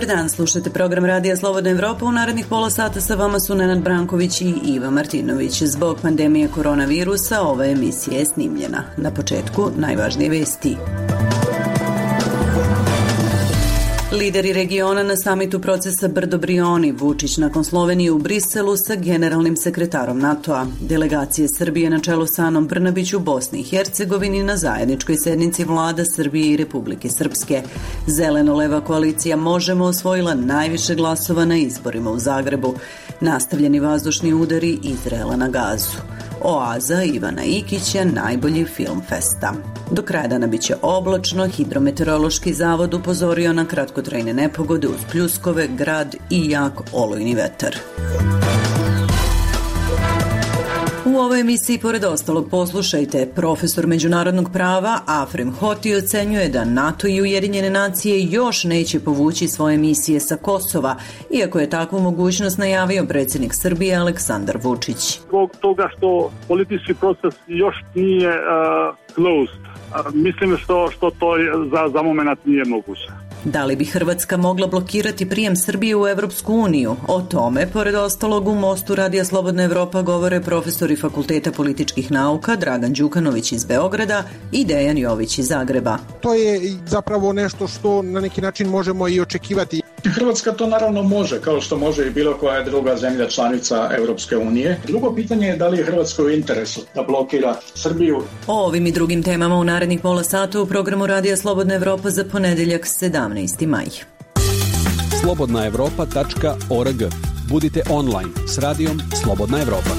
Dobar dan, slušate program Radija Slobodna Evropa. U narednih pola sata sa vama su Nenad Branković i Iva Martinović. Zbog pandemije koronavirusa ova emisija je snimljena. Na početku najvažnije vesti. Lideri regiona na samitu procesa Brdo-Brioni, Vučić nakon Slovenije u Briselu sa generalnim sekretarom NATO-a. Delegacije Srbije na čelu sa Anom Brnabić u Bosni i Hercegovini na zajedničkoj sednici vlada Srbije i Republike Srpske. Zeleno-leva koalicija Možemo osvojila najviše glasova na izborima u Zagrebu. Nastavljeni vazdušni udari Izraela na Gazu. Oaza Ivana Ikića, najbolji film festa. Do kraja dana biće oblačno, Hidrometeorološki zavod upozorio na kratkotrajne nepogode uz pljuskove, grad i jak olujni vetar. U ovoj emisiji, pored ostalog, poslušajte. Profesor međunarodnog prava Afrem Hoti ocenjuje da NATO i Ujedinjene nacije još neće povući svoje misije sa Kosova, iako je takvu mogućnost najavio predsjednik Srbije Aleksandar Vučić. Zbog toga što politički proces još nije closed, mislim što to za moment nije moguće. Da li bi Hrvatska mogla blokirati prijem Srbije u Evropsku uniju? O tome, pored ostalog, u Mostu Radija Slobodna Evropa govore profesori Fakulteta političkih nauka Dragan Đukanović iz Beograda i Dejan Jović iz Zagreba. To je zapravo nešto što na neki način možemo i očekivati. Hrvatska to naravno može, kao što može i bilo koja druga zemlja članica Europske unije. Drugo pitanje je da li je Hrvatskoj u interesu da blokira Srbiju. O ovim i drugim temama u narednih pola sata u programu Radija Slobodna Evropa za ponedeljak 17. maj. slobodnaevropa.org. Budite online s radijom Slobodna Evropa.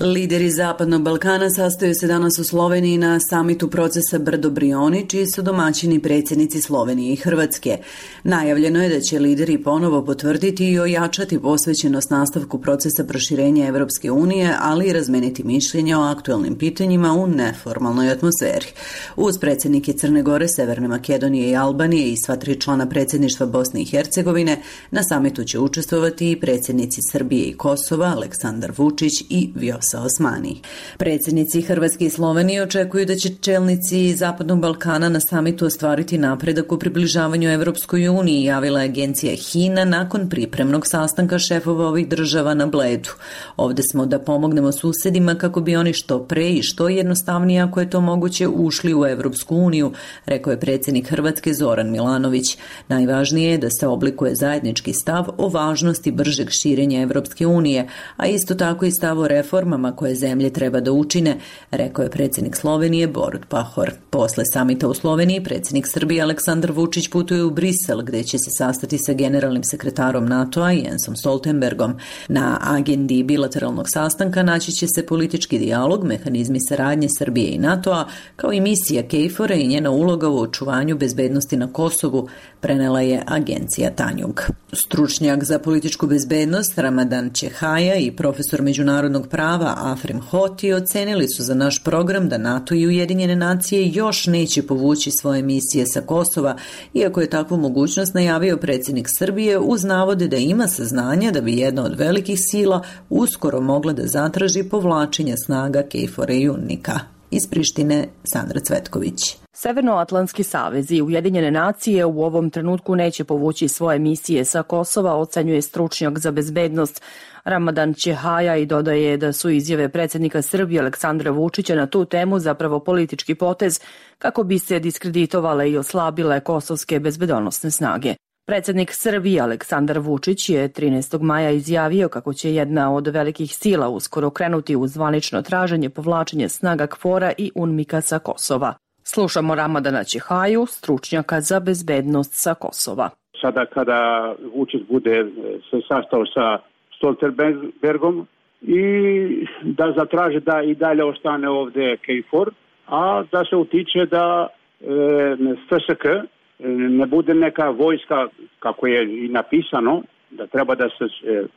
Lideri Zapadnog Balkana sastaju se danas u Sloveniji na samitu procesa Brdo-Brioni, čiji su domaćini predsjednici Slovenije i Hrvatske. Najavljeno je da će lideri ponovo potvrditi i ojačati posvećenost nastavku procesa proširenja Evropske unije, ali i razmeniti mišljenja o aktualnim pitanjima u neformalnoj atmosferi. Uz predsjednike Crne Gore, Severne Makedonije i Albanije i sva 3 člana predsjedništva Bosne i Hercegovine, na samitu će učestvovati i predsjednici Srbije i Kosova, Aleksandar Vučić i Vjosa Osmani. Predsjednici Hrvatske i Slovenije očekuju da će čelnici Zapadnog Balkana na samitu ostvariti napredak u približavanju Evropskoj uniji, javila je agencija HINA nakon pripremnog sastanka šefova ovih država na Bledu. Ovde smo da pomognemo susedima kako bi oni što pre i što jednostavnije, ako je to moguće, ušli u Evropsku uniju, rekao je predsjednik Hrvatske Zoran Milanović. Najvažnije je da se oblikuje zajednički stav o važnosti bržeg širenja Evropske unije, a isto tako i stav o reformama koje zemlje treba da učine, rekao je predsjednik Slovenije Borut Pahor. Posle samita u Sloveniji, predsjednik Srbije Aleksandar Vučić putuje u Brisel, gde će se sastati sa generalnim sekretarom NATO-a Jensom Stoltenbergom. Na agendi bilateralnog sastanka naći će se politički dijalog, mehanizmi saradnje Srbije i NATO-a, kao i misija KFOR-a i njena uloga u očuvanju bezbednosti na Kosovu, prenela je agencija Tanjug. Stručnjak za političku bezbednost Ramadan Čehaja i profesor međunarodnog prava Afrem Hoti ocenili su za naš program da NATO i Ujedinjene nacije još neće povući svoje misije sa Kosova, iako je takvu mogućnost najavio predsjednik Srbije uz navode da ima saznanja da bi jedna od velikih sila uskoro mogla da zatraži povlačenje snaga KFOR-a i UNMIK-a. Iz Prištine Sandra Cvetković. Severnoatlantski savez i Ujedinjene nacije u ovom trenutku neće povući svoje misije sa Kosova, ocenjuje stručnjak za bezbednost Ramadan Čehaja i dodaje da su izjave predsjednika Srbije Aleksandra Vučića na tu temu zapravo politički potez kako bi se diskreditovale i oslabile kosovske bezbednosne snage. Predsjednik Srbije Aleksandar Vučić je 13. maja izjavio kako će jedna od velikih sila uskoro krenuti u zvanično traženje povlačenja snaga KFOR-a i UNMIK-a sa Kosova. Slušamo Ramadana Čehaju, stručnjaka za bezbednost sa Kosova. Sada kada Vučić bude se sastao sa Stoltenbergom i da zatraže da i dalje ostane ovdje KFOR, a da se utiče da FSK ne bude neka vojska, kako je i napisano, da treba da se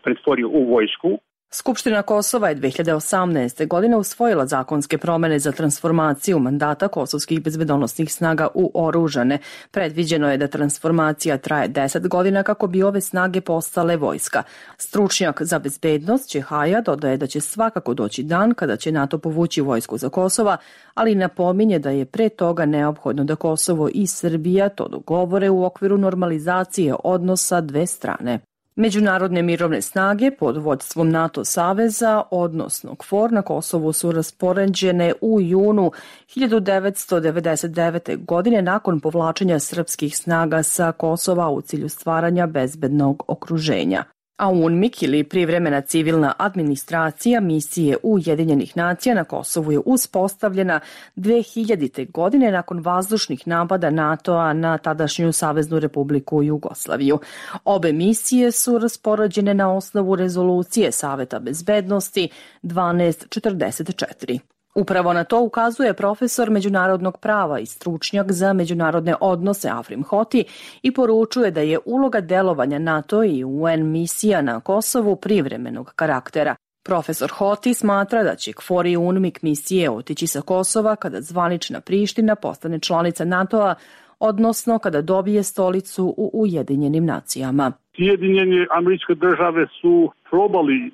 pretvori u vojsku, Skupština Kosova je 2018. godine usvojila zakonske promene za transformaciju mandata kosovskih bezbedonosnih snaga u oružane. Predviđeno je da transformacija traje 10 godina kako bi ove snage postale vojska. Stručnjak za bezbednost Čehaja dodaje da će svakako doći dan kada će NATO povući vojsku za Kosova, ali napominje da je pre toga neophodno da Kosovo i Srbija to dogovore u okviru normalizacije odnosa dve strane. Međunarodne mirovne snage pod vodstvom NATO saveza, odnosno KFOR, na Kosovu su raspoređene u junu 1999. godine nakon povlačenja srpskih snaga sa Kosova u cilju stvaranja bezbednog okruženja. A UNMIK ili privremena civilna administracija misije Ujedinjenih nacija na Kosovu je uspostavljena 2000. godine nakon vazdušnih napada NATO-a na tadašnju Saveznu Republiku Jugoslaviju. Obe misije su raspoređene na osnovu rezolucije Saveta bezbednosti 1244. Upravo na to ukazuje profesor međunarodnog prava i stručnjak za međunarodne odnose Afrim Hoti i poručuje da je uloga delovanja NATO i UN misija na Kosovu privremenog karaktera. Profesor Hoti smatra da će KFOR i UNMIK misije otići sa Kosova kada zvanična Priština postane članica NATO-a, odnosno kada dobije stolicu u Ujedinjenim nacijama. Sjedinjene Američke države su probali,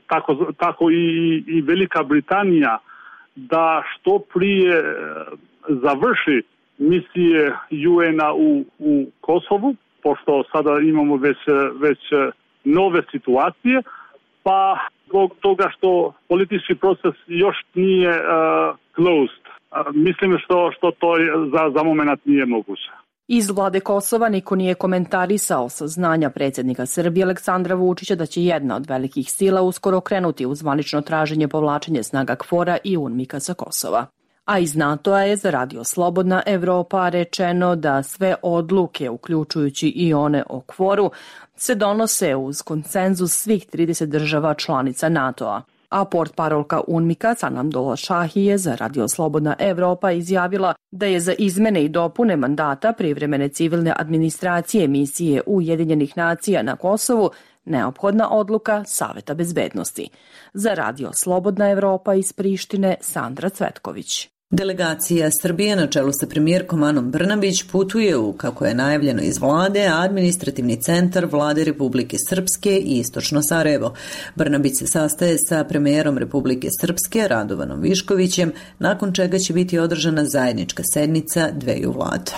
tako i Velika Britanija, da što prije završi misije UN-a u Kosovu, pošto sada imamo već nove situacije, pa zbog toga što politički proces još nije closed. Mislim što to za moment nije moguće. Iz vlade Kosova niko nije komentarisao saznanja predsjednika Srbije Aleksandra Vučića da će jedna od velikih sila uskoro krenuti u zvanično traženje povlačenja snaga KFOR-a i UNMIK-a sa Kosova. A iz NATO-a je za Radio Slobodna Evropa rečeno da sve odluke, uključujući i one o KFOR-u, se donose uz konsenzus svih 30 država članica NATO-a. A portparolka UNMIK-a Sanam Dolaşahi je za Radio Slobodna Evropa izjavila da je za izmene i dopune mandata privremene civilne administracije misije Ujedinjenih nacija na Kosovu neophodna odluka Saveta bezbednosti. Za Radio Slobodna Evropa iz Prištine Sandra Cvetković. Delegacija Srbije na čelu sa premijerkom Anom Brnabić putuje u, kako je najavljeno iz vlade, administrativni centar vlade Republike Srpske i Istočno Sarajevo. Brnabić se sastaje sa premijerom Republike Srpske Radovanom Viškovićem, nakon čega će biti održana zajednička sednica dveju vlada.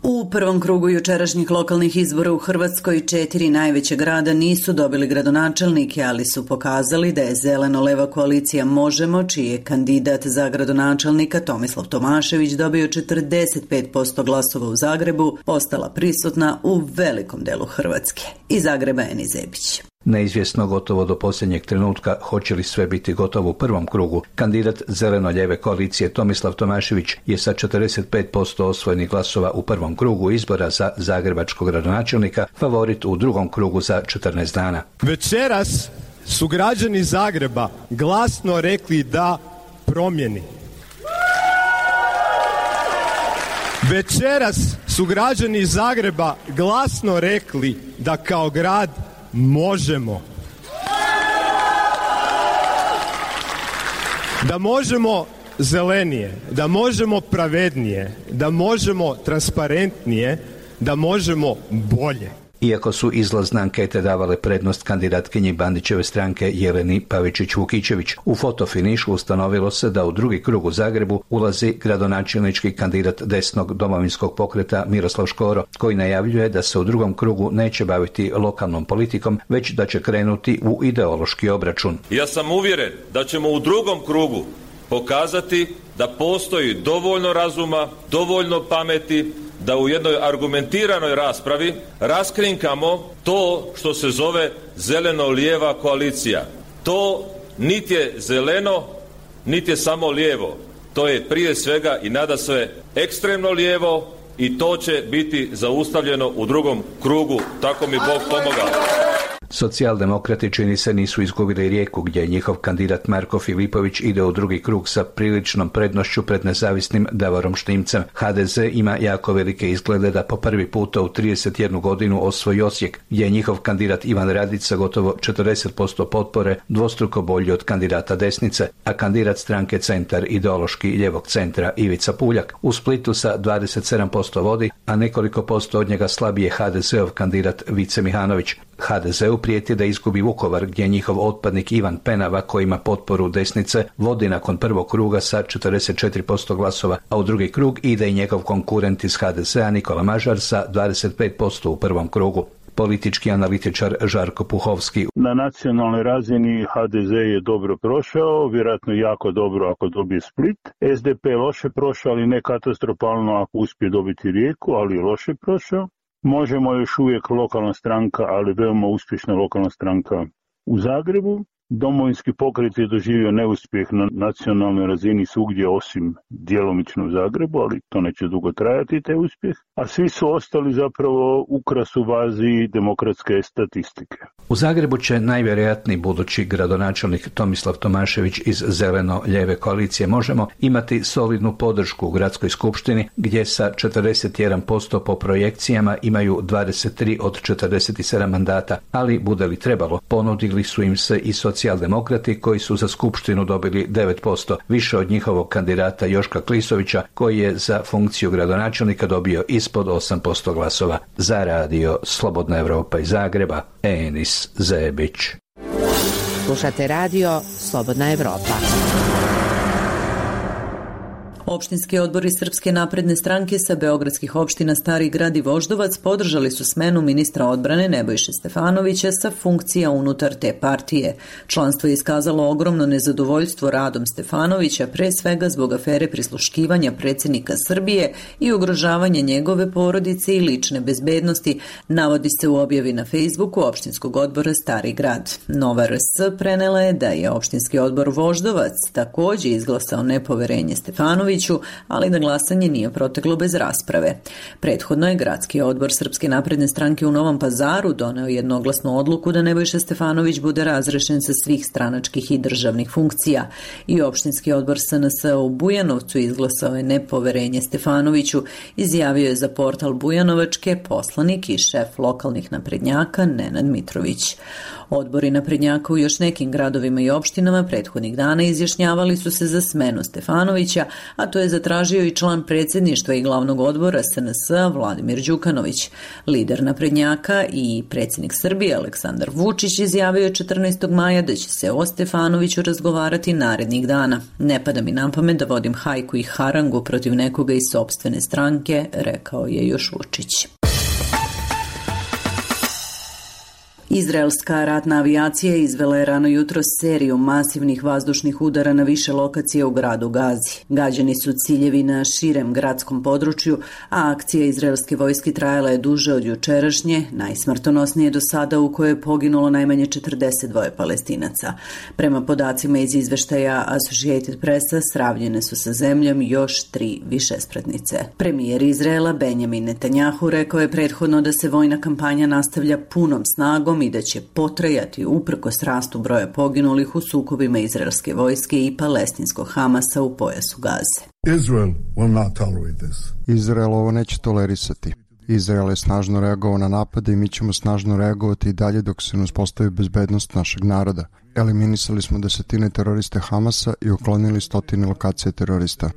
U prvom krugu jučerašnjih lokalnih izbora u Hrvatskoj 4 najveća grada nisu dobili gradonačelnike, ali su pokazali da je zeleno-leva koalicija Možemo, čiji je kandidat za gradonačelnika Tomislav Tomašević dobio 45% glasova u Zagrebu, postala prisutna u velikom delu Hrvatske. Iz Zagreba Eni Zebić. Neizvjesno gotovo do posljednjeg trenutka hoće li sve biti gotovo u prvom krugu. Kandidat zeleno-lijeve koalicije Tomislav Tomašević je sa 45% osvojenih glasova u prvom krugu izbora za zagrebačkog gradonačelnika favorit u drugom krugu za 14 dana. Večeras su građani Zagreba glasno rekli da promjeni. Večeras su građani Zagreba glasno rekli da kao grad možemo. Da možemo zelenije, da možemo pravednije, da možemo transparentnije, da možemo bolje. Iako su izlazne ankete davale prednost kandidatkinji Bandićeve stranke Jeleni Pavičić-Vukičević, u fotofinišu ustanovilo se da u drugi krug u Zagrebu ulazi gradonačelnički kandidat desnog domovinskog pokreta Miroslav Škoro, koji najavljuje da se u drugom krugu neće baviti lokalnom politikom, već da će krenuti u ideološki obračun. Ja sam uvjeren da ćemo u drugom krugu pokazati da postoji dovoljno razuma, dovoljno pameti, da u jednoj argumentiranoj raspravi raskrinkamo to što se zove zeleno-lijeva koalicija. To niti je zeleno, niti je samo lijevo. To je prije svega i nadasve ekstremno lijevo i to će biti zaustavljeno u drugom krugu. Tako mi Bog pomogao. Socijaldemokrati čini se nisu izgubili Rijeku, gdje njihov kandidat Marko Filipović ide u drugi krug sa priličnom prednošću pred nezavisnim Davorom Štimcem. HDZ ima jako velike izglede da po prvi puta u 31 godinu osvoji Osijek, gdje je njihov kandidat Ivan Radić sa gotovo 40% potpore dvostruko bolji od kandidata desnice, a kandidat stranke Centar ideološki ljevog centra Ivica Puljak u Splitu sa 27% vodi, a nekoliko posto od njega slabije HDZ-ov kandidat Vice Mihanović. HDZ-u prijeti da izgubi Vukovar, gdje njihov otpadnik Ivan Penava, koji ima potporu desnice, vodi nakon prvog kruga sa 44% glasova, a u drugi krug ide i njegov konkurent iz HDZ-a Nikola Mažar sa 25% u prvom krugu. Politički analitičar Žarko Puhovski. Na nacionalnoj razini HDZ je dobro prošao, vjerojatno jako dobro ako dobije Split. SDP je loše prošao, ali ne katastrofalno ako uspije dobiti Rijeku, ali je loše prošao. Možemo još uvijek lokalna stranka, ali veoma uspješna lokalna stranka u Zagrebu. Domovinski pokret je doživio neuspjeh na nacionalnoj razini svugdje osim djelomično u Zagrebu, ali to neće dugo trajati taj uspjeh. A svi su ostali zapravo ukras u vazi demokratske statistike. U Zagrebu će najvjerojatniji budući gradonačelnik Tomislav Tomašević iz zeleno-lijeve koalicije Možemo imati solidnu podršku u gradskoj skupštini, gdje sa 41% po projekcijama imaju 23 od 47 mandata, ali bude li trebalo, ponudili su im se i socijaldemokrati koji su za skupštinu dobili 9%, više od njihovog kandidata Joška Klisovića, koji je za funkciju gradonačelnika dobio ispod 8% glasova. Za radio Slobodna Evropa iz Zagreba, Enis Zebić. Slušate radio Slobodna Evropa. Opštinski odbori Srpske napredne stranke sa beogradskih opština Stari Grad i Voždovac podržali su smenu ministra odbrane Nebojše Stefanovića sa funkcija unutar te partije. Članstvo je iskazalo ogromno nezadovoljstvo radom Stefanovića, pre svega zbog afere prisluškivanja predsjednika Srbije i ugrožavanja njegove porodice i lične bezbednosti, navodi se u objavi na Facebooku opštinskog odbora Stari Grad. Nova RS prenela je da je opštinski odbor Voždovac također izglasao nepoverenje Stefanoviću, ali da glasanje nije proteklo bez rasprave. Prethodno je gradski odbor Srpske napredne stranke u Novom Pazaru doneo jednoglasnu odluku da Nebojša Stefanović bude razrešen sa svih stranačkih i državnih funkcija. I opštinski odbor SNS u Bujanovcu izglasao je nepoverenje Stefanoviću, izjavio je za portal Bujanovačke poslanik i šef lokalnih naprednjaka Nenad Mitrović. Odbori naprednjaka u još nekim gradovima i opštinama prethodnih dana izjašnjavali su se za smenu Stefanovića, a to je zatražio i član predsjedništva i glavnog odbora SNS Vladimir Đukanović. Lider naprednjaka i predsjednik Srbije Aleksandar Vučić izjavio je 14. maja da će se o Stefanoviću razgovarati narednih dana. Ne pada mi na pamet da vodim hajku i harangu protiv nekoga iz sopstvene stranke, rekao je još Vučić. Izraelska ratna avijacija izvela je rano jutro seriju masivnih vazdušnih udara na više lokacija u gradu Gazi. Gađani su ciljevi na širem gradskom području, a akcija izraelske vojske trajala je duže od jučerašnje, najsmrtonosnije do sada, u kojoj je poginulo najmanje 42 Palestinaca. Prema podacima iz izveštaja Associated Pressa, sravnjene su sa zemljom još 3 višespratnice. Premijer Izraela Benjamin Netanjahu rekao je prethodno da se vojna kampanja nastavlja punom snagom i da će potrajati uprkos rastu broja poginulih u sukobima izraelske vojske i palestinskog Hamasa u pojasu Gaze. Izrael ovo neće tolerisati. Izrael je snažno reagovao na napade i mi ćemo snažno reagovati i dalje dok se ne uspostavi bezbednost našeg naroda. Eliminisali smo 10 teroriste Hamasa i uklonili 100 lokacije terorista.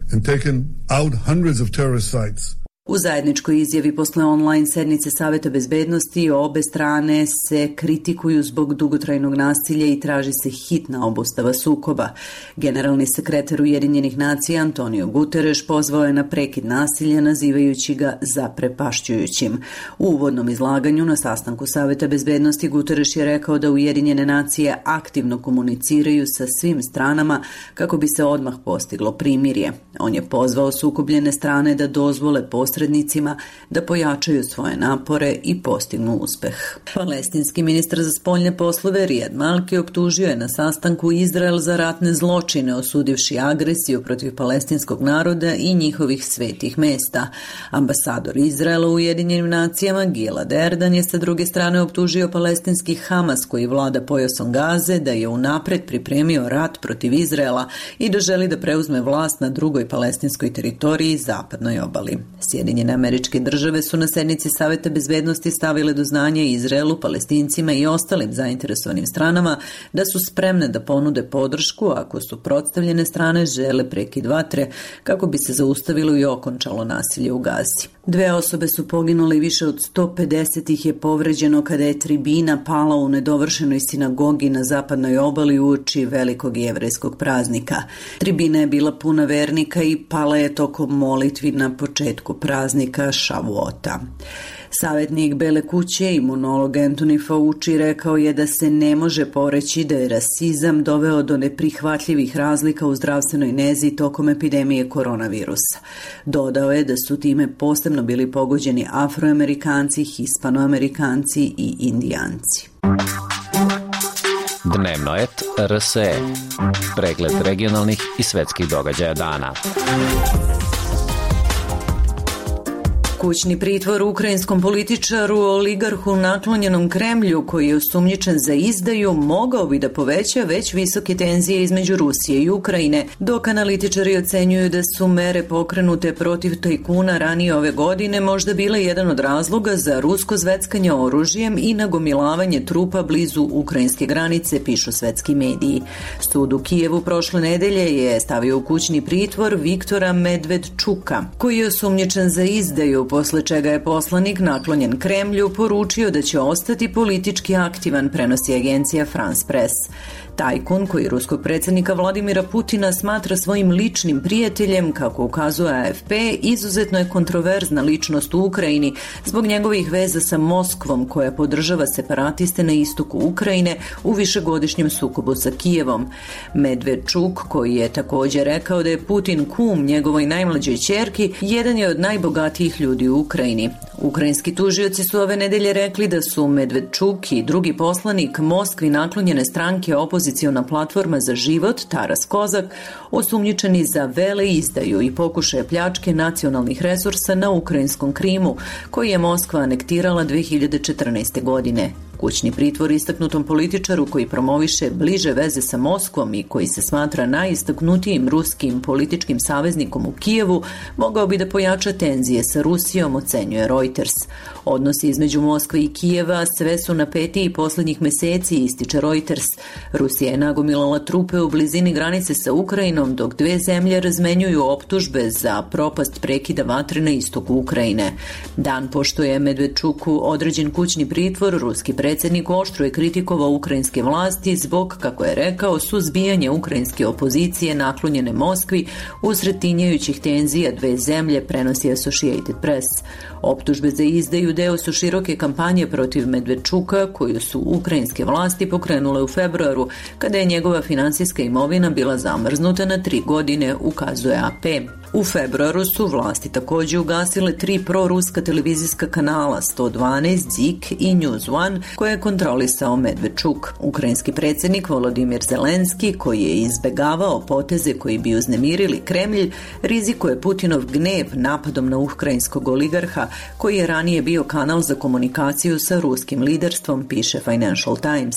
U zajedničkoj izjavi posle online sednice Saveta bezbednosti obe strane se kritikuju zbog dugotrajnog nasilja i traži se hitna obustava sukoba. Generalni sekretar Ujedinjenih nacija Antonio Guterres pozvao je na prekid nasilja, nazivajući ga zaprepašćujućim. U uvodnom izlaganju na sastanku Saveta bezbednosti Guterres je rekao da Ujedinjene nacije aktivno komuniciraju sa svim stranama kako bi se odmah postiglo primirje. On je pozvao sukobljene strane da dozvole posredovanje posrednicima da pojačaju svoje napore i postignu uspeh. Palestinski ministar za spoljne poslove Rijad Malki optužio je na sastanku Izrael za ratne zločine, osudivši agresiju protiv palestinskog naroda i njihovih svetih mesta. Ambasador Izraela u Ujedinjenim nacijama Gilad Erdan je sa druge strane optužio palestinski Hamas koji vlada pojasom Gaze da je unapred pripremio rat protiv Izraela i da želi da preuzme vlast na drugoj palestinskoj teritoriji zapadnoj obali. Sjedinjene Američke Države su na sednici Saveta bezbednosti stavile do znanja Izraelu, Palestincima i ostalim zainteresovanim stranama da su spremne da ponude podršku ako suprotstavljene strane žele prekid vatre kako bi se zaustavilo i okončalo nasilje u Gazi. 2 osobe su poginule i više od 150 ih je povređeno kada je tribina pala u nedovršenoj sinagogi na zapadnoj obali uoči velikog jevrejskog praznika. Tribina je bila puna vernika i pala je tokom molitvi na početku praznika Šavuota. Savjetnik Bele kuće, imunolog Anthony Fauci, rekao je da se ne može poreći da je rasizam doveo do neprihvatljivih razlika u zdravstvenoj nezi tokom epidemije koronavirusa. Dodao je da su time posebno bili pogođeni Afroamerikanci, Hispanoamerikanci i Indijanci. Dnevno et RSE. Pregled regionalnih i svetskih događaja dana. Kućni pritvor ukrajinskom političaru, oligarhu naklonjenom Kremlju koji je osumnjičen za izdaju mogao bi da poveća već visoke tenzije između Rusije i Ukrajine, dok analitičari ocenjuju da su mere pokrenute protiv tajkuna ranije ove godine možda bile jedan od razloga za rusko zveckanje oružjem i nagomilavanje trupa blizu ukrajinske granice, pišu svetski mediji. Sud u Kijevu prošle nedelje je stavio u kućni pritvor Viktora Medvedčuka, koji je osumnjičen za izdaju, posle čega je poslanik naklonjen Kremlju poručio da će ostati politički aktivan, prenosi agencija France Press. Tajkun, koji ruskog predsjednika Vladimira Putina smatra svojim ličnim prijateljem, kako ukazuje AFP, izuzetno je kontroverzna ličnost u Ukrajini zbog njegovih veza sa Moskvom, koja podržava separatiste na istoku Ukrajine u višegodišnjem sukobu sa Kijevom. Medvedčuk, koji je također rekao da je Putin kum njegovoj najmlađoj ćerki, jedan je od najbogatijih ljudi u Ukrajini. Ukrajinski tužioci su ove nedelje rekli da su Medvedčuk i drugi poslanik Moskvi naklonjene stranke opoziciona platforma za život Taras Kozak osumnjičeni za veleizdaju i pokušaje pljačke nacionalnih resursa na ukrajinskom Krimu, koji je Moskva anektirala 2014. godine. Kućni pritvor istaknutom političaru koji promoviše bliže veze sa Moskvom i koji se smatra najistaknutijim ruskim političkim saveznikom u Kijevu mogao bi da pojača tenzije sa Rusijom, ocenjuje Reuters. Odnosi između Moskve i Kijeva sve su napetiji posljednjih meseci, ističe Reuters. Rusija je nagomilala trupe u blizini granice sa Ukrajinom, dok dve zemlje razmenjuju optužbe za propast prekida vatre na istoku Ukrajine. Dan pošto je Medvedčuku određen kućni pritvor, ruski predsjednik oštro je kritikovao ukrajinske vlasti zbog, kako je rekao, suzbijanja ukrajinske opozicije naklonjene Moskvi usred tinjajućih tenzija dve zemlje, prenosi Associated Press. Optužbe za izdaju deo su široke kampanje protiv Medvedčuka koju su ukrajinske vlasti pokrenule u februaru, kada je njegova finansijska imovina bila zamrznuta na 3 godine, ukazuje AP. U februaru su vlasti također ugasile 3 proruska televizijska kanala 112, Zik i News One koje je kontrolisao Medvedčuk. Ukrajinski predsjednik Volodimir Zelenski, koji je izbegavao poteze koji bi uznemirili Kremlj, rizikuje Putinov gnev napadom na ukrajinskog oligarha koji je ranije bio kanal za komunikaciju sa ruskim liderstvom, piše Financial Times.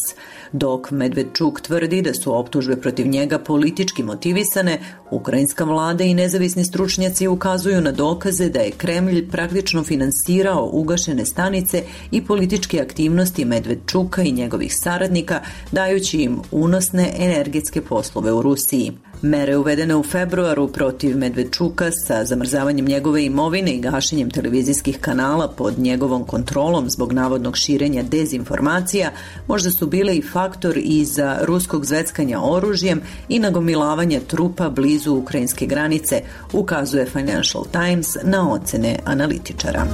Dok Medvedčuk tvrdi da su optužbe protiv njega politički motivisane, ukrajinska vlada i nezavisni stručnjaci ukazuju na dokaze da je Kremlj praktično finansirao ugašene stanice i političke aktivnosti Medvedčuka i njegovih saradnika, dajući im unosne energetske poslove u Rusiji. Mere uvedene u februaru protiv Medvedčuka sa zamrzavanjem njegove imovine i gašenjem televizijskih kanala pod njegovom kontrolom zbog navodnog širenja dezinformacija možda su bile i faktor iza ruskog zveckanja oružjem i nagomilavanja trupa blizu ukrajinske granice, ukazuje Financial Times na ocene analitičara.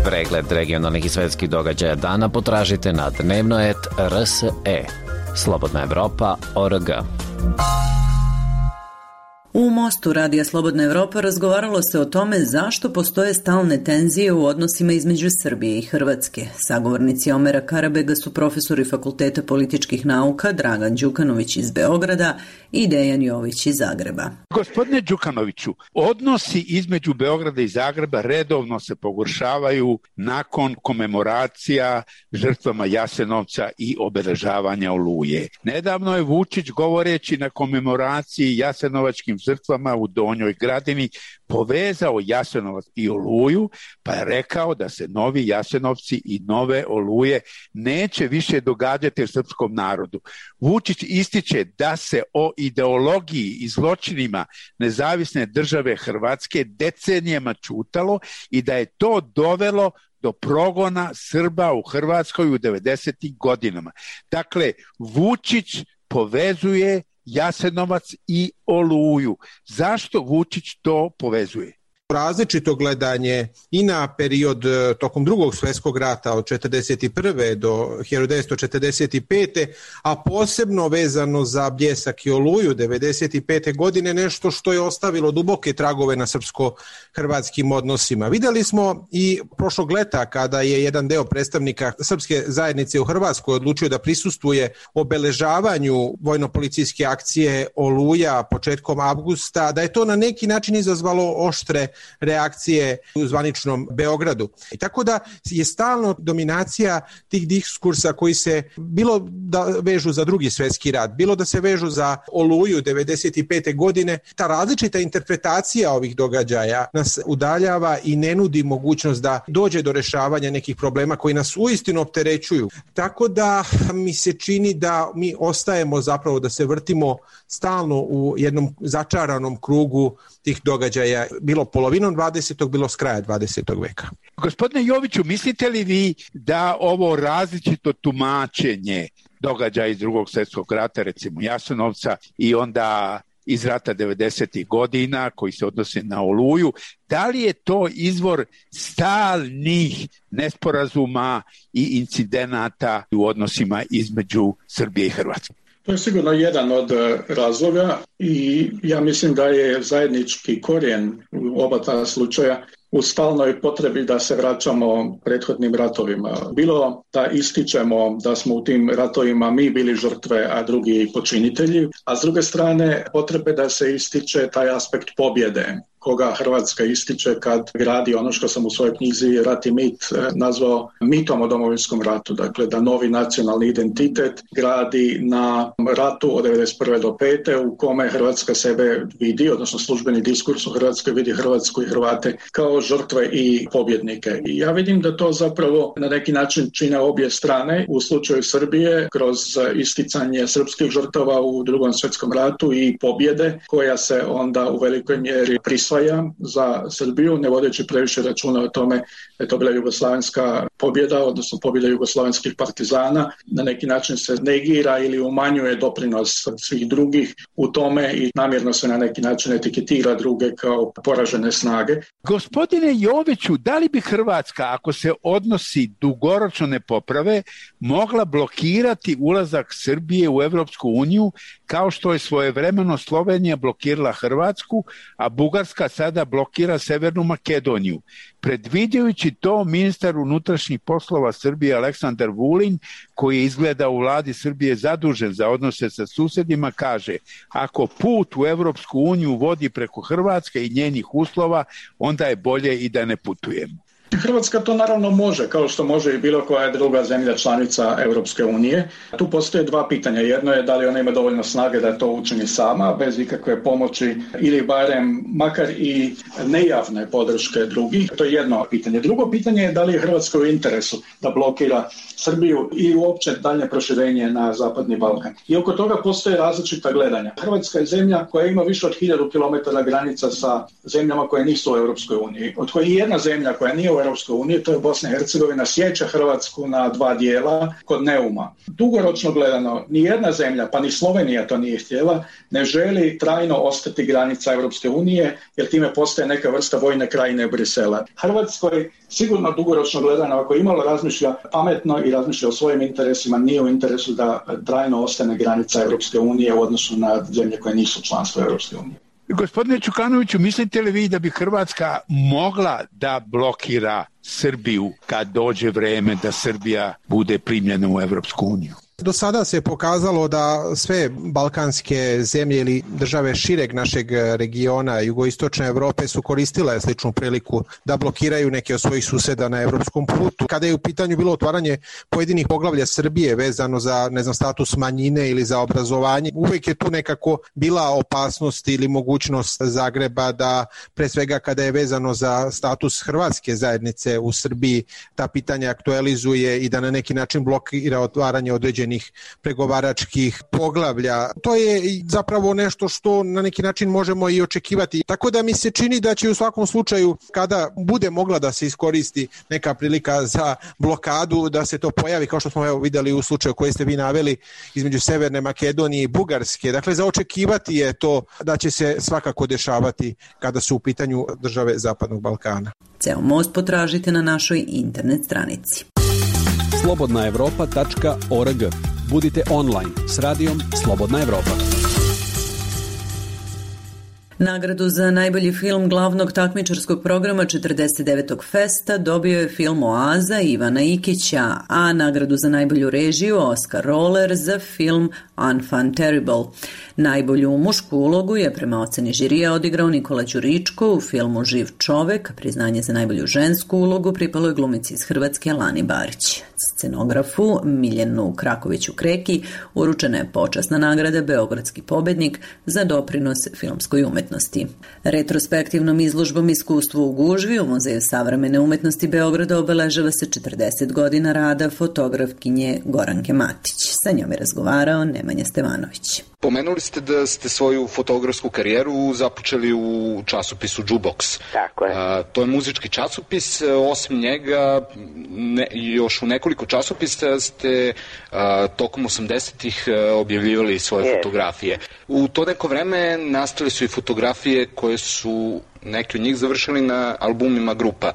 Pregled regionalnih i svetskih događaja dana potražite na dnevno.rt.rse. Slobodna Evropa.org. U Mostu Radija Slobodna Evropa razgovaralo se o tome zašto postoje stalne tenzije u odnosima između Srbije i Hrvatske. Sagovornici Omera Karabega su profesori Fakulteta političkih nauka Dragan Đukanović iz Beograda i Dejan Jović iz Zagreba. Gospodine Đukanoviću, odnosi između Beograda i Zagreba redovno se pogoršavaju nakon komemoracija žrtvama Jasenovca i obeležavanja Oluje. Nedavno je Vučić, govoreći na komemoraciji jasenovačkim žrtvama u Donjoj Gradini, povezao Jasenovac i Oluju, pa je rekao da se novi Jasenovci i nove Oluje neće više događati srpskom narodu. Vučić ističe da se o ideologiji i zločinima nezavisne države Hrvatske decenijama ćutalo i da je to dovelo do progona Srba u Hrvatskoj u 90. godinama. Dakle, Vučić povezuje Jasenovac i Oluju. Zašto Vučić to povezuje? Različito gledanje i na period tokom Drugog svjetskog rata od 1941. do 1945. a posebno vezano za Bljesak i Oluju 1995. godine, nešto što je ostavilo duboke tragove na srpsko-hrvatskim odnosima. Vidjeli smo i prošlog leta kada je jedan deo predstavnika srpske zajednice u Hrvatskoj odlučio da prisustvuje obeležavanju vojno-policijske akcije Oluja početkom avgusta, da je to na neki način izazvalo oštre reakcije u zvaničnom Beogradu. I tako da je stalno dominacija tih diskursa koji se bilo da vežu za Drugi svjetski rat, bilo da se vežu za Oluju 1995. godine. Ta različita interpretacija ovih događaja nas udaljava i ne nudi mogućnost da dođe do rešavanja nekih problema koji nas uistinu opterećuju. Tako da mi se čini da mi ostajemo zapravo da se vrtimo stalno u jednom začaranom krugu tih događaja, bilo polovinom 20. bilo s kraja 20. veka. Gospodine Joviću, mislite li vi da ovo različito tumačenje događaja iz Drugog svjetskog rata, recimo Jasenovca, i onda iz rata 90. godina koji se odnose na Oluju, da li je to izvor stalnih nesporazuma i incidenata u odnosima između Srbije i Hrvatske? To je sigurno jedan od razloga i ja mislim da je zajednički korijen u oba ta slučaja u stalnoj potrebi da se vraćamo prethodnim ratovima. Bilo da ističemo da smo u tim ratovima mi bili žrtve, a drugi počinitelji, a s druge strane potrebe da se ističe taj aspekt pobjede, koga Hrvatska ističe kad gradi ono što sam u svojoj knjizi Rat i mit nazvao mitom o Domovinskom ratu. Dakle, da novi nacionalni identitet gradi na ratu od 1991. do 1995. u kome Hrvatska sebe vidi, odnosno službeni diskurs u Hrvatskoj vidi Hrvatsku i Hrvate kao žrtve i pobjednike. I ja vidim da to zapravo na neki način čine obje strane. U slučaju Srbije kroz isticanje srpskih žrtava u Drugom svjetskom ratu i pobjede koja se onda u velikoj mjeri prisvaja za Srbiju, ne vodeći previše računa o tome da je to bila jugoslavenska pobjeda, odnosno pobjeda jugoslavenskih partizana. Na neki način se negira ili umanjuje doprinos svih drugih u tome i namjerno se na neki način etiketira druge kao poražene snage. Gospodine Joviću, da li bi Hrvatska, ako se odnosi dugoročno ne poprave, mogla blokirati ulazak Srbije u Evropsku uniju kao što je svojevremeno Slovenija blokirala Hrvatsku, a Bugarska sada blokira Severnu Makedoniju? Predviđajući to, ministar unutrašnjih poslova Srbije Aleksandar Vulin, koji je izgleda u vladi Srbije zadužen za odnose sa susedima, kaže: ako put u Evropsku uniju vodi preko Hrvatske i njenih uslova, onda je bolje i da ne putujemo. Hrvatska to naravno može, kao što može i bilo koja druga zemlja članica Europske unije. Tu postoje dva pitanja. Jedno je da li ona ima dovoljno snage da to učini sama, bez ikakve pomoći ili barem makar i nejavne podrške drugih. To je jedno pitanje. Drugo pitanje je da li je Hrvatskoj u interesu da blokira Srbiju i uopće daljnje proširenje na Zapadni Balkan. I oko toga postoje različita gledanja. Hrvatska je zemlja koja ima više od 1000 km granica sa zemljama koje nisu u Europskoj uniji, od kojih jedna zemlja koja nije u Europskoj uniji, to je Bosna i Hercegovina, sjeća Hrvatsku na dva dijela kod Neuma. Dugoročno gledano, ni jedna zemlja, pa ni Slovenija to nije htjela, ne želi trajno ostati granica Europske unije, jer time postaje neka vrsta vojne krajine Brisela. Hrvatskoj sigurno dugoročno gledano, ako imalo razmišlja pametno i razmišlja o svojim interesima, nije u interesu da trajno ostane granica Europske unije u odnosu na zemlje koje nisu članstvo Europske unije. Gospodine Čukanoviću, mislite li vi da bi Hrvatska mogla da blokira Srbiju kad dođe vreme da Srbija bude primljena u Evropsku uniju? Do sada se pokazalo da sve balkanske zemlje ili države šireg našeg regiona jugoistočne Evrope su koristile sličnu priliku da blokiraju neke od svojih suseda na evropskom putu. Kada je u pitanju bilo otvaranje pojedinih poglavlja Srbije vezano za, status manjine ili za obrazovanje, uvek je tu nekako bila opasnost ili mogućnost Zagreba da, pre svega kada je vezano za status hrvatske zajednice u Srbiji, ta pitanja aktualizuje i da na neki način blokira otvaranje određenih pregovaračkih poglavlja. To je zapravo nešto što na neki način možemo i očekivati. Tako da mi se čini da će u svakom slučaju, kada bude mogla da se iskoristi neka prilika za blokadu, da se to pojavi, kao što smo videli u slučaju koji ste vi naveli između Severne Makedonije i Bugarske. Dakle, za očekivati je to da će se svakako dešavati kada su u pitanju države Zapadnog Balkana. Ceo most potražite na našoj internet stranici. slobodnaevropa.org. Budite online s radijom Slobodna Evropa. Nagradu za najbolji film glavnog takmičarskog programa 49. festa dobio je film Oaza Ivana Ikića, a nagradu za najbolju režiju Oscar Roller za film Enfant Terrible. Najbolju mušku ulogu je prema oceni žirija odigrao Nikola Đuričko u filmu Živ čovek, priznanje za najbolju žensku ulogu pripalo je glumici iz Hrvatske Lani Barić. Scenografu Miljanu Krakoviću-Kreki uručena je počasna nagrada Beogradski pobednik za doprinos filmskoj umetnosti. Retrospektivnom izložbom Iskustvo u gužvi u Muzeju savremene umetnosti Beograda obeležava se 40 godina rada fotografkinje Goranke Matić. Sa njom je razgovarao Nemanja Stevanović. Pomenuli ste da ste svoju fotografsku karijeru započeli u časopisu Jukebox. Tako je. To je muzički časopis, osim njega još u nekoliko časopisa ste tokom 80-ih objavljivali svoje fotografije. U to neko vreme nastale su i fotografije koje su neki od njih završili na albumima grupa.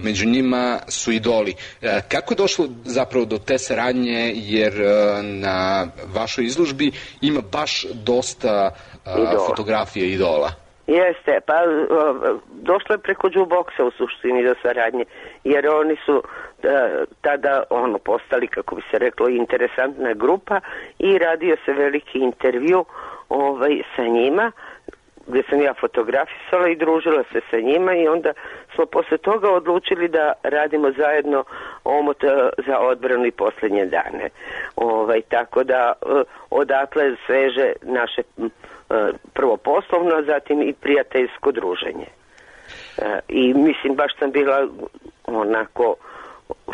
Među njima su Idoli. Kako je došlo zapravo do te saradnje, jer na vašoj izložbi ima baš dosta fotografije Idola? Jeste, pa došlo je preko Jukeboxa u suštini do saradnje, jer oni su tada postali, kako bi se reklo, interesantna grupa i radio se veliki intervju sa njima, gdje sam ja fotografisala i družila se sa njima i onda smo posle toga odlučili da radimo zajedno omot za odbranu i posljednje dane. Tako da odatle sveže naše prvo poslovno, a zatim i prijateljsko druženje. I mislim, baš sam bila onako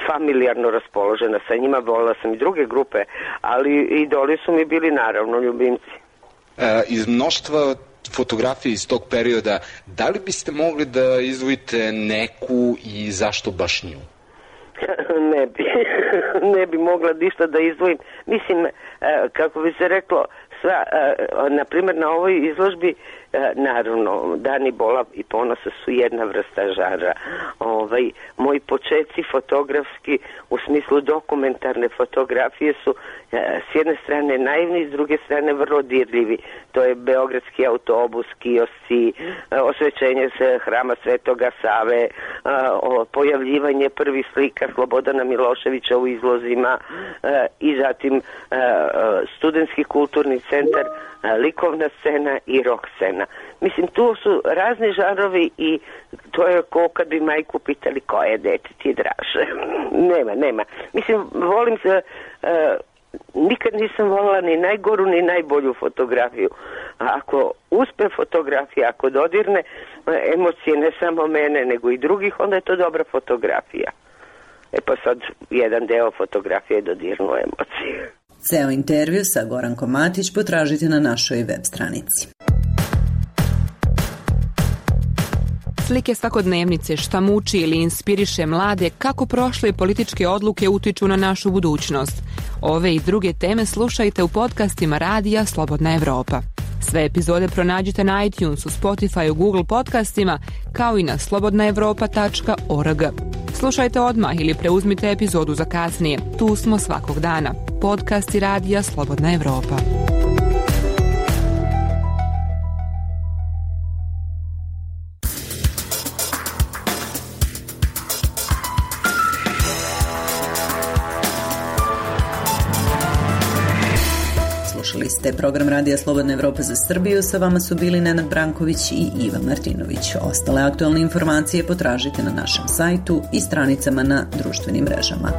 familijarno raspoložena sa njima, volila sam i druge grupe, ali Idoli su mi bili naravno ljubimci. Iz mnoštva fotografije iz tog perioda, da li biste mogli da izdvojite neku i zašto baš nju? Ne bi mogla ništa da izdvojim. Mislim, kako bi se reklo, na primjer na ovoj izložbi, naravno, Dani Bola i Ponosa su jedna vrsta žanra. Moji početci fotografski, u smislu dokumentarne fotografije, su s jedne strane naivni, s druge strane vrlo dirljivi. To je Beogradski autobus, kiosci, osvećenje hrama Svetoga Save, pojavljivanje prvih slika Slobodana Miloševića u izlozima i zatim studentski kulturni centar, likovna scena i rock scena. Mislim, tu su razni žanrovi i to je ko kad bi majku pitali koje dete ti draže. Nema. Mislim, volim se, nikad nisam volila ni najgoru ni najbolju fotografiju. Ako uspe fotografija, ako dodirne emocije ne samo mene nego i drugih, onda je to dobra fotografija. Pa sad jedan deo fotografije dodirnu emocije. Ceo intervju sa Gorankom Matić potražite na našoj web stranici. Slike svakodnevnice, šta muči ili inspiriše mlade, kako prošle političke odluke utiču na našu budućnost. Ove i druge teme slušajte u podcastima radija Slobodna Evropa. Sve epizode pronađite na iTunesu, Spotifyu, Google podcastima, kao i na slobodnaevropa.org. Slušajte odmah ili preuzmite epizodu za kasnije. Tu smo svakog dana. Podcasti radija Slobodna Evropa. Slušali ste program Radija Slobodna Evropa za Srbiju, sa vama su bili Nenad Branković i Iva Martinović. Ostale aktualne informacije potražite na našem sajtu i stranicama na društvenim mrežama.